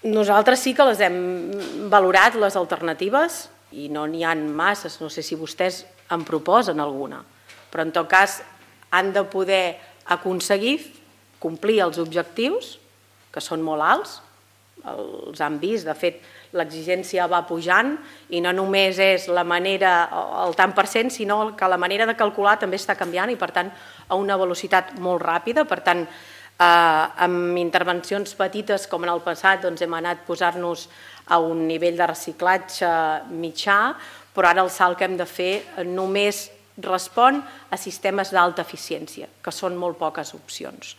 Nosaltres sí que les hem valorat, les alternatives, i no n'hi ha masses, no sé si vostès en proposen alguna, però en tot cas han de poder aconseguir complir els objectius, que són molt alts, els han vist, de fet l'exigència va pujant i no només és la manera, el tant per cent, sinó que la manera de calcular també està canviant i per tant a una velocitat molt ràpida, per tant amb intervencions petites com en el passat hem anat posant-nos a un nivell de reciclatge mitjà, però ara el salt que hem de fer només respon a sistemes d'alta eficiència, que són molt poques opcions.